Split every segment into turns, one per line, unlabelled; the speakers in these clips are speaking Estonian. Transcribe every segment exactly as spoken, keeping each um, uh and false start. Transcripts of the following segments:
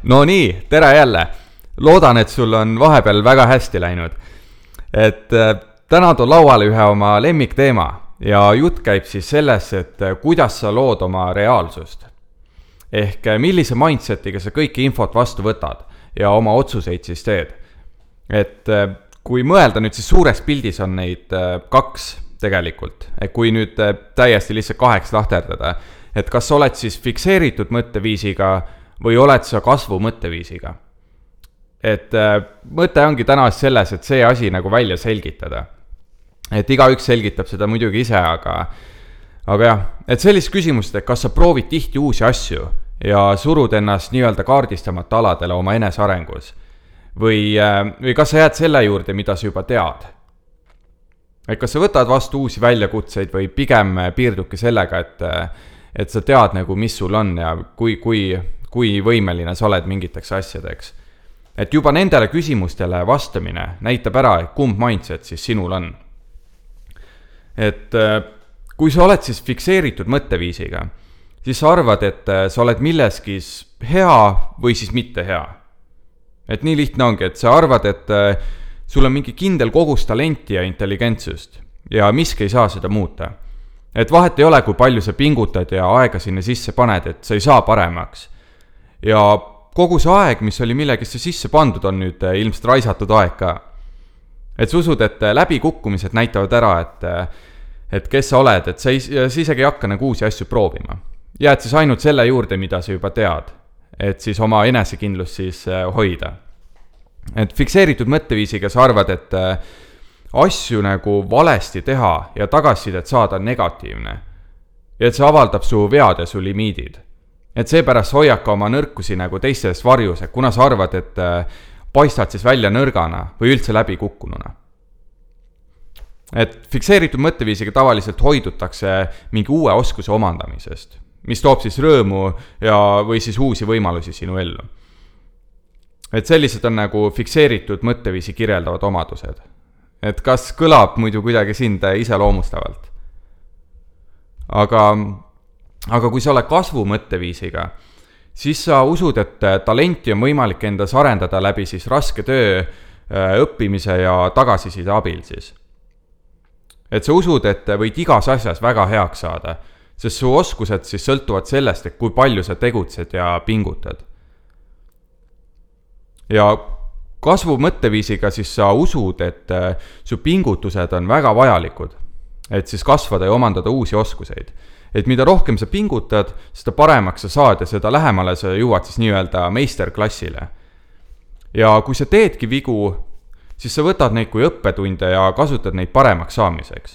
No nii, tere jälle. Loodan, et sul on vahepeal väga hästi läinud. Et täna toon lauale ühe oma lemmikteema ja jutt käib siis selles, et kuidas sa lood oma reaalsust. Ehk millise mindsetiga sa kõiki infot vastu võtad ja oma otsuseid siis teed. Et kui mõelda nüüd siis suures pildis on neid kaks tegelikult. Et kui nüüd täiesti lihtsalt kaheks lahterdada, et kas sa oled siis fikseeritud mõtteviisiga või oled sa kasvu mõtteviisiga. Et mõte ongi täna selles, et see asi nagu välja selgitada. Et igaüks selgitab seda muidugi ise, aga, aga jah, et sellist küsimust, et kas sa proovid tihti uusi asju ja surud ennast nii-öelda kaardistamata aladele oma enesearengus või, või kas sa jääd selle juurde, mida sa juba tead. Et kas sa võtad vastu uusi väljakutseid või pigem piirduki sellega, et, et sa tead nagu, mis sul on ja kui, kui, kui võimeline sa oled mingiteks asjadeks. Et juba nendele küsimustele vastamine näitab ära, kumb mindset siis sinul on. Et kui sa oled siis fikseeritud mõtteviisiga, siis sa arvad, et sa oled milleski hea või siis mitte hea. Et nii lihtne ongi, et sa arvad, et sul on mingi kindel kogus talenti ja intelligentsust ja miski ei saa seda muuta. Et vahet ei ole, kui palju sa pingutad ja aega sinna sisse paned, et sa ei saa paremaks. Ja kogu see aeg, mis oli millegisse sisse pandud, on nüüd ilmselt raisatud aeg ka. Et sa usud, et läbikukkumised näitavad ära, et, et kes sa oled, et sa, ei, sa isegi ei hakka nagu uusi asju proovima. Jääd siis ainult selle juurde, mida sa juba tead, et siis oma enesekindlust siis hoida. Et fikseeritud mõtteviisiga sa arvad, et asju nagu valesti teha ja tagasisidet saada negatiivne. Ja et see avaldab su vead ja su limiidid. Et seepärast hoiad ka oma nõrkusi nagu teistes varjus, et kuna sa arvad, et paistad siis välja nõrgana või üldse läbi kukkununa. Et fikseeritud mõtteviisiga tavaliselt hoidutakse mingi uue oskuse omandamisest, mis toob siis rõõmu ja, või siis uusi võimalusi sinu ellu. Et sellised on nagu fikseeritud mõtteviisi kirjeldavad omadused. Et kas kõlab muidu kuidagi sind iseloomustavalt? Aga... Aga kui sa oled kasvu mõtteviisiga, siis sa usud, et talenti on võimalik endas arendada läbi siis raske töö, õppimise ja tagasiside abil siis. Et sa usud, et võid igas asjas väga heaks saada, sest su oskused siis sõltuvad sellest, et kui palju sa tegutsed ja pingutad. Ja kasvu mõtteviisiga siis sa usud, et su pingutused on väga vajalikud, et siis kasvada ja omandada uusi oskuseid. Et mida rohkem sa pingutad, seda paremaks sa saad ja seda lähemale sa jõuad siis nii-öelda meisterklassile. Ja kui sa teedki vigu, siis sa võtad neid kui õppetunde ja kasutad neid paremaks saamiseks.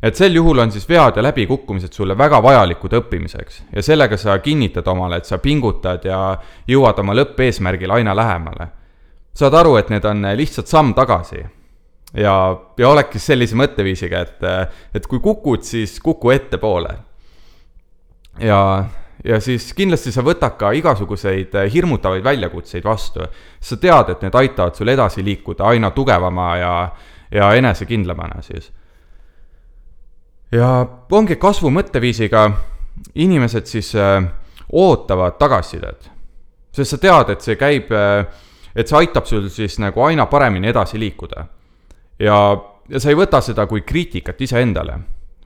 Et sel juhul on siis vead ja läbikukkumised sulle väga vajalikud õppimiseks ja sellega sa kinnitad omale, et sa pingutad ja jõuad oma lõppeesmärgil aina lähemale. Saad aru, et need on lihtsalt samm tagasi. Ja, ja olekki sellise mõtteviisiga, et, et kui kukud, siis kuku ette poole. Ja, ja siis kindlasti sa võtad ka igasuguseid hirmutavaid väljakutseid vastu. Sa tead, et need aitavad sul edasi liikuda aina tugevama ja, ja enesekindlamana siis. Ja ongi kasvu mõtteviisiga inimesed siis ootavad tagasisidet. Sest sa tead, et see käib, et see aitab sul siis nagu aina paremini edasi liikuda. Ja, ja sa ei võta seda kui kriitikat ise endale,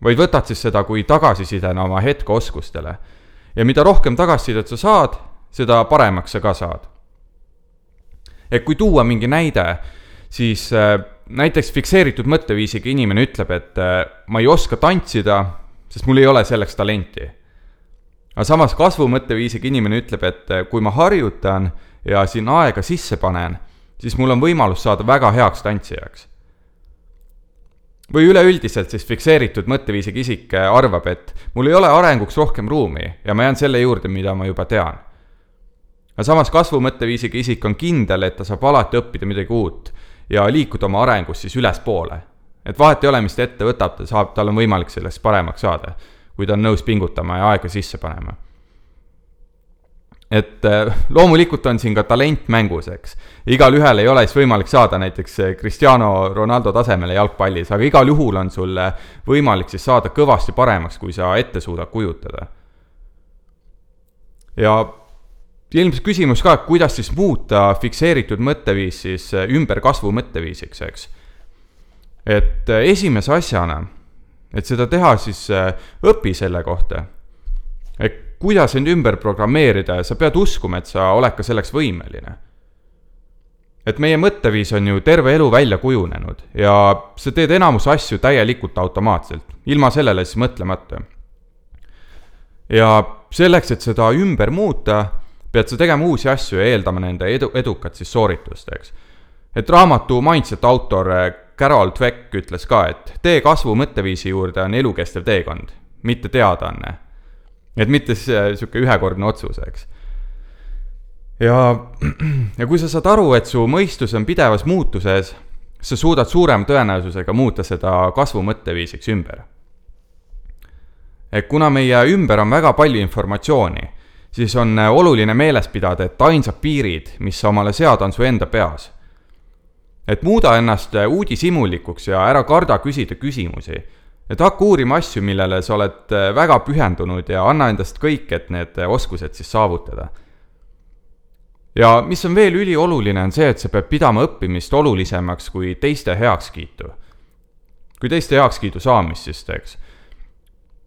vaid võtad siis seda kui tagasisidena oma hetkeoskustele. Ja mida rohkem tagasisidet sa saad, seda paremaks sa ka saad. Et kui tuua mingi näide, siis äh, näiteks fikseeritud mõtteviisiga inimene ütleb, et äh, ma ei oska tantsida, sest mul ei ole selleks talenti. Aga samas kasvu mõtteviisiga inimene ütleb, et äh, kui ma harjutan ja siin aega sisse panen, siis mul on võimalus saada väga heaks tantsijaks. Või üleüldiselt siis fikseeritud mõtteviisiga isik arvab, et mul ei ole arenguks rohkem ruumi ja ma jään selle juurde, mida ma juba tean. Aga samas kasvu mõtteviisiga isik on kindel, et ta saab alati õppida midagi uut ja liikuda oma arengus siis üles poole. Et vahet ei ole, mis ta ette võtab, ta saab, tal on võimalik sellest paremaks saada, kui ta on nõus pingutama ja aega sisse panema. Et loomulikult on siin ka talent mängus, eks. Igal ühel ei ole siis võimalik saada näiteks Cristiano Ronaldo tasemele jalgpallis, aga igal juhul on sul võimalik siis saada kõvasti paremaks, kui sa ette suudad kujutada. Ja ilmselt küsimus ka, kuidas siis muuta fikseeritud mõtteviis siis ümber kasvu mõtteviisiks, eks. Et esimese asjana, et seda teha, siis õpi selle kohta. Et kuidas end ümber programmeerida ja sa pead uskuma, et sa oled ka selleks võimeline. Et meie mõtteviis on ju terve elu välja kujunenud ja sa teed enamus asju täielikult automaatselt, ilma sellele siis mõtlemata. Ja selleks, et seda ümber muuta, pead sa tegema uusi asju ja eeldama nende edu, edukat siis sooritust, eks. Et raamatu Mindset autor Carol Dweck ütles ka, et tee kasvu mõtteviisi juurde on elukestev teekond, mitte teadaanne. Et mitte siuke ühekordne otsus, eks. Ja, ja kui sa saad aru, et su mõistus on pidevas muutuses, sa suudad suurem tõenäosusega muuta seda kasvu mõtteviisiks ümber. Et kuna meie ümber on väga palju informatsiooni, siis on oluline meeles pidada, et ainsad piirid, mis sa omale sead, on su enda peas. Et muuda ennast uudishimulikuks ja ära karda küsida küsimusi. Et hakka uurima asju, millele sa oled väga pühendunud ja anna endast kõik, et need oskused siis saavutada. Ja mis on veel ülioluline on see, et sa pead pidama õppimist olulisemaks kui teiste heakskiitu. Kui teiste heakskiidu saamist siis teeks.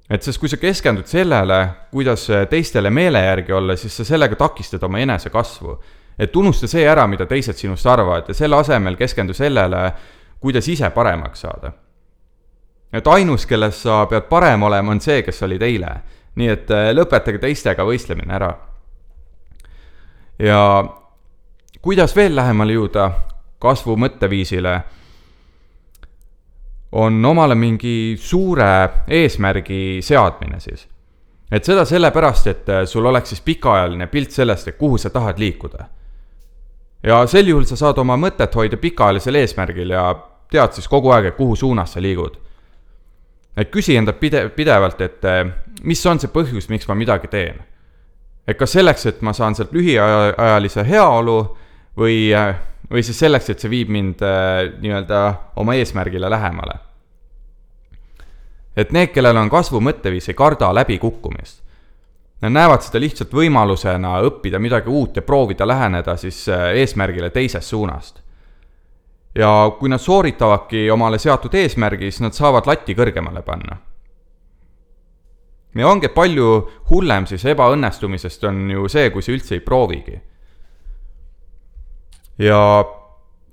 Et sest kui sa keskendud sellele, kuidas teistele meele järgi olla, siis sa sellega takistad oma enese kasvu. Et unusta see ära, mida teised sinust arvavad ja selle asemel keskendu sellele, kuidas ise paremaks saada. Et ainus, kelles sa pead parem olema, on see, kes olid eile. Nii et lõpetage teistega võistlemine ära. Ja kuidas veel lähemale jõuda kasvu mõtteviisile, on omale mingi suure eesmärgi seadmine siis. Et seda sellepärast, et sul oleks siis pikaajaline pilt sellest, et kuhu sa tahad liikuda. Ja sel juhul sa saad oma mõtet hoida pikaajalisel eesmärgil ja tead siis kogu aeg, et kuhu suunas sa liigud. Et küsi enda pide- pidevalt, et mis on see põhjus, miks ma midagi teen. Et kas selleks, et ma saan sealt lühiajalise heaolu või, või siis selleks, et see viib mind nii-öelda oma eesmärgile lähemale. Et need, kellel on kasvu mõtteviis, ei karda läbi kukkumist. Nad näevad seda lihtsalt võimalusena õppida midagi uut ja proovida läheneda siis eesmärgile teisest suunast. Ja kui nad sooritavadki omale seatud eesmärgi, siis nad saavad latti kõrgemale panna. Ja ongi palju hullem siis ebaõnnestumisest on ju see, kui see üldse ei proovigi. Ja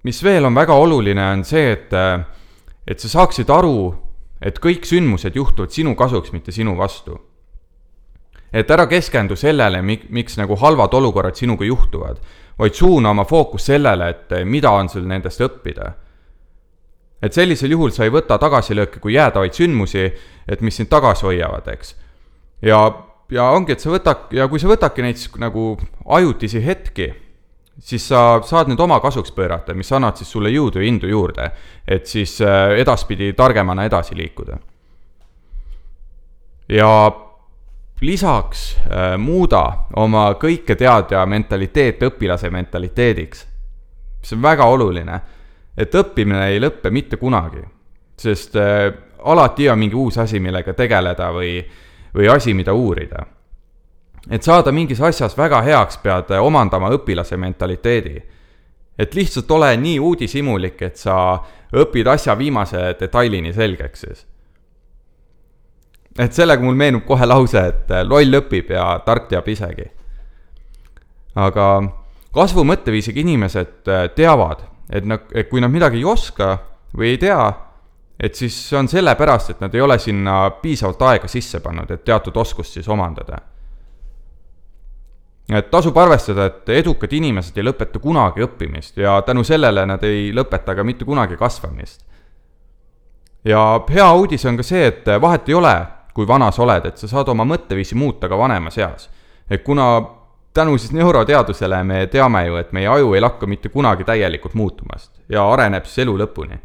mis veel on väga oluline on see, et, et sa saaksid aru, et kõik sündmused juhtuvad sinu kasuks, mitte sinu vastu. Et ära keskendu sellele, miks nagu halvad olukorrad sinuga juhtuvad, vaid suuna oma fookus sellele, et mida on sul nendest õppida. Et sellisel juhul sa ei võta tagasilööke kui jäädavaid sündmusi, et mis sind tagasi hoiavad, eks. Ja, ja ongi, et sa võtak, ja kui sa võtadki neid nagu ajutisi hetki, siis sa saad nüüd oma kasuks pöörata, mis annad siis sulle jõudu ja indu juurde, et siis edaspidi targemana edasi liikuda. Ja lisaks äh, muuda oma kõike teadja mentaliteet õpilase mentaliteediks. See on väga oluline, et õppimine ei lõppe mitte kunagi, sest äh, alati on mingi uus asi, millega tegeleda või, või asi, mida uurida. Et saada mingis asjas väga heaks, pead omandama õpilase mentaliteedi. Et lihtsalt ole nii uudishimulik, et sa õpid asja viimase detailini selgeks siis. Et sellega mul meenub kohe lause, et loll õpib ja tark teab isegi. Aga kasvu mõtteviisiga inimesed teavad, et, nad, et kui nad midagi ei oska või ei tea, et siis see on sellepärast, et nad ei ole sinna piisavalt aega sisse pannud, et teatud oskust siis omandada. Et tasub arvestada, et edukad inimesed ei lõpeta kunagi õppimist ja tänu sellele nad ei lõpeta ka mitte kunagi kasvamist. Ja hea uudis on ka see, et vahet ei ole, kui vana sa oled, et sa saad oma mõtteviisi muuta ka vanema seas. Et kuna tänu siis neuroteadusele me teame ju, et meie aju ei lakka mitte kunagi täielikult muutumast ja areneb siis elu lõpuni.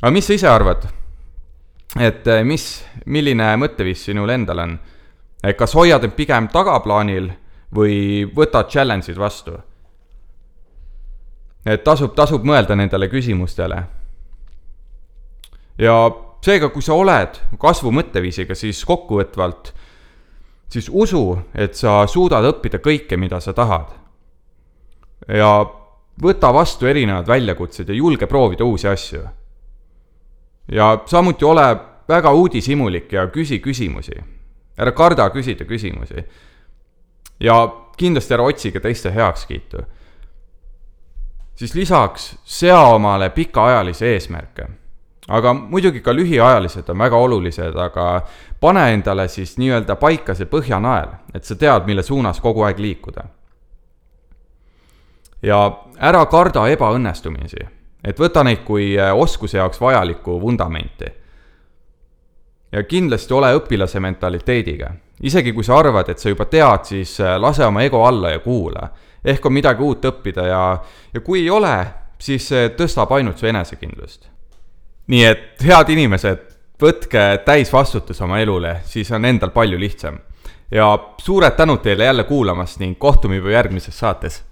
Aga mis sa ise arvad? Et mis, milline mõtteviis sinul endal on? Et kas hoiad end pigem tagaplaanil või võtad challenge'id vastu? Et tasub, tasub mõelda nendele küsimustele. Ja seega, kui sa oled kasvu mõtteviisiga, siis kokkuvõtvalt siis usu, et sa suudad õppida kõike, mida sa tahad. Ja võta vastu erinevad väljakutsed ja julge proovida uusi asju. Ja samuti ole väga uudishimulik ja küsi küsimusi. Ära karda küsida küsimusi. Ja kindlasti ära otsige teiste heakskiitu. Siis lisaks sea omale pikaajalisi eesmärke. Aga muidugi ka lühiajalised on väga olulised, aga pane endale siis nii-öelda paika see põhjanael, et sa tead, mille suunas kogu aeg liikuda. Ja ära karda ebaõnnestumisi, et võta neid kui oskuse jaoks vajalikku vundamenti. Ja kindlasti ole õpilase mentaliteediga. Isegi kui sa arvad, et sa juba tead, siis lase oma ego alla ja kuula. Ehk on midagi uut õppida ja, ja kui ei ole, siis see tõstab ainult su enesekindlust. Nii et head inimesed, võtke täis vastutus oma elule, siis on endal palju lihtsam. Ja suured tänud teile jälle kuulamast ning kohtume juba järgmises saates.